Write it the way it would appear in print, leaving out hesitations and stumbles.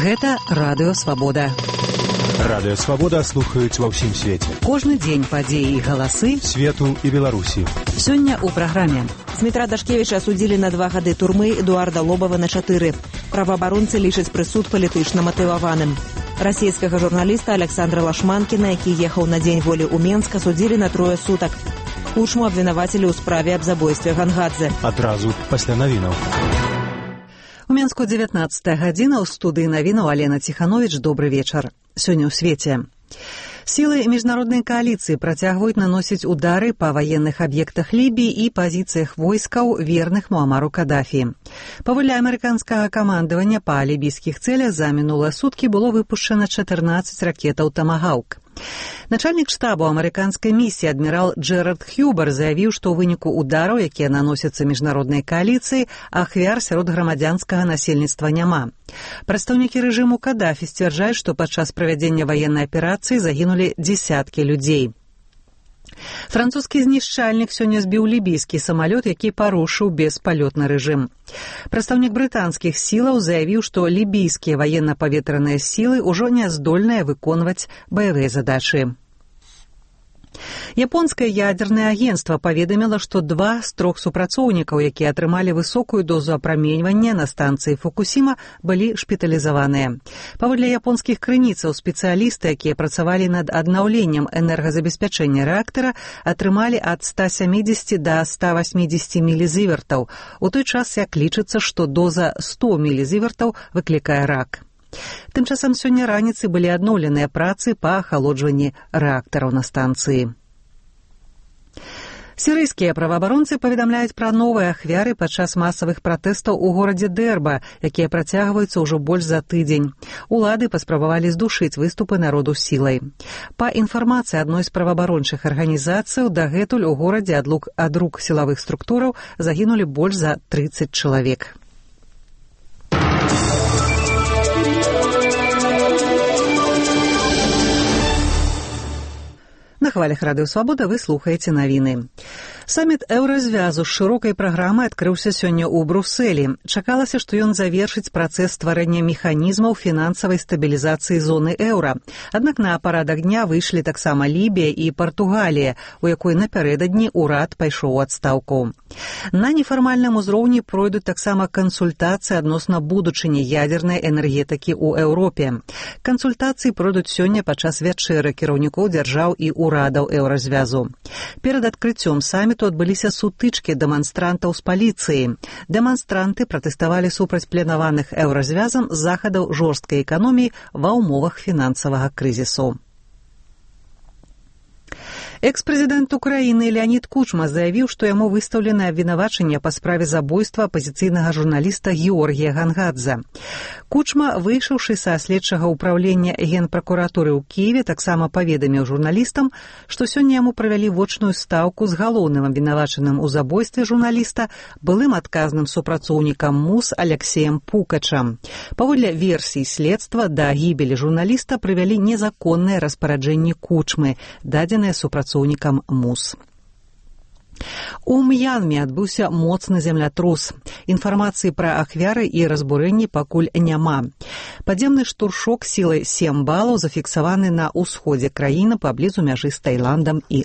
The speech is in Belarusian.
Гэта Радыё Свабода. Радыё Свабода слухаюць ва ўсім свеце. Кожны дзень падзеі і галасы свету і Беларусі. Сёння ў праграме. Дмітра Дашкевіча асудзілі на 2 гады турмы, Эдуарда Лобава на 4. Праваабаронцы лічаць прысуд палітычна матываваным. Расійскага журналіста Александра Лашманкіна, які ехаў на дзень волі ў Менск, асудзілі на 3 сутак. Кучму абвінавацілі ў справе аб забойстве Гангадзе. Адразу пасля навінаў. У Менску 19 гадзіна, ў студыі навінаў Алена Ціхановіч. Добры вечар. Сёння ў свеце. Сілы міжнароднай кааліцыі працягваюць наносіць удары па ваенных аб'ектах Лібіі і пазіцыях войскаў, верных Муамару Кадафі. Паводле амерыканскага камандавання, па лібійскіх цэлях за мінулыя суткі было выпушчана 14 ракетаў «Тамагаўк». Начальнік штабу амерыканскай місіі адмірал Джэрард Хьюбар заявіў, што ў выніку удараў, якія наносяцца міжнароднай кааліцыі, ахвяр сярод грамадзянскага насельніцтва няма. Прадстаўнікі рэжыму Кадафі сцвярджаюць, што падчас правядзення ваеннай аперацыі загінулі дзесяткі людзей. Французскі знішчальнік сёння збіў лібійскі самалёт, які парушыў беспалётны рэжым. Прадстаўнік брытанскіх сілаў заявіў, што лібійскія ваенна-паветраныя сілы ўжо не здольныя выконваць баявыя задачы. Японскае ядзернае агенцтва паведаміла, што 2 з 3 супрацоўнікаў, якія атрымалі высокую дозу апраменьвання на станцыі Фукусіма, былі шпіталізаваныя. Паводле японскіх крыніцаў, спецыялісты, якія працавалі над аднаўленнем энергазабеспячэння рэактара, атрымалі ад 170 да 180 мілізівертаў, у той час як лічыцца, што доза 100 мілізівертаў выклікае рак. Тым часам сёння раніцай былі адноўленыя працы па ахалоджванні рэактараў на станцыі. Сірыйскія праваабаронцы паведамляюць пра новыя ахвяры падчас масавых пратэстаў у горадзе Дэрба, якія працягваюцца ўжо больш за тыдзень. Улады паспрабавалі здушыць выступы народу сілай. Па інфармацыі адной з праваабарончых арганізацый, дагэтуль у горадзе ад рук сілавых структураў загінулі больш за 30 чалавек. На хвалях Радыё Свабода вы слухаеце навіны. Саміт еўразвязу з шырокай праграмай адкрыўся сёння ў Брусэлі. Чакалася, што ён завершыць працэс стварэння механізмаў фінансавай стабілізацыі зоны еўра. Аднак на парадак дня выйшлі таксама Лібія і Партугалія, у якой напярэдадні ўрад пайшоў у адстаўку. На нефармальным узроўні пройдуць таксама кансультацыі адносна будучыні ядзернай энергетыкі ў Еўропе. Кансультацыі пройдуць сёння падчас вячэры кіраўнікоў дзяржаў і урадаў еўразвязу. Перад адкрыццём саміту адбыліся сутычкі дэманстрантаў з паліцыяй. Дэманстранты пратэставалі супраць планаваных еўразвязам захадаў жорсткай эканоміі ва ўмовах фінансавага крызісу. Экс-прэзідэнт Украіны Леонід Кучма заявіў, што яму выстаўленае абвінавачанне па справе забойства апазіцыйнага журналіста Георгія Гангадзе. Кучма, выйшаўшы са следчага ўпраўлення генпракуратуры ў Кіеве, таксама паведаміў журналістам, што сёння яму правялі вочную стаўку з галоўным абвінавачаным у забойстве журналіста, былым адказным супрацоўнікам МУС Алексеем Пукачам. Паводле версій следства, да гібелі журналіста прывялі незаконныя распараджэнні Кучмы, дадзеныя супрацоўнікам МУС. У М'янме адбыўся моцны землятрус. Інфармацыі пра ахвяры і разбурэнні пакуль няма. Падземны штуршок сілай 7 балаў зафіксаваны на ўсходзе краіны паблізу мяжы з Таіландам і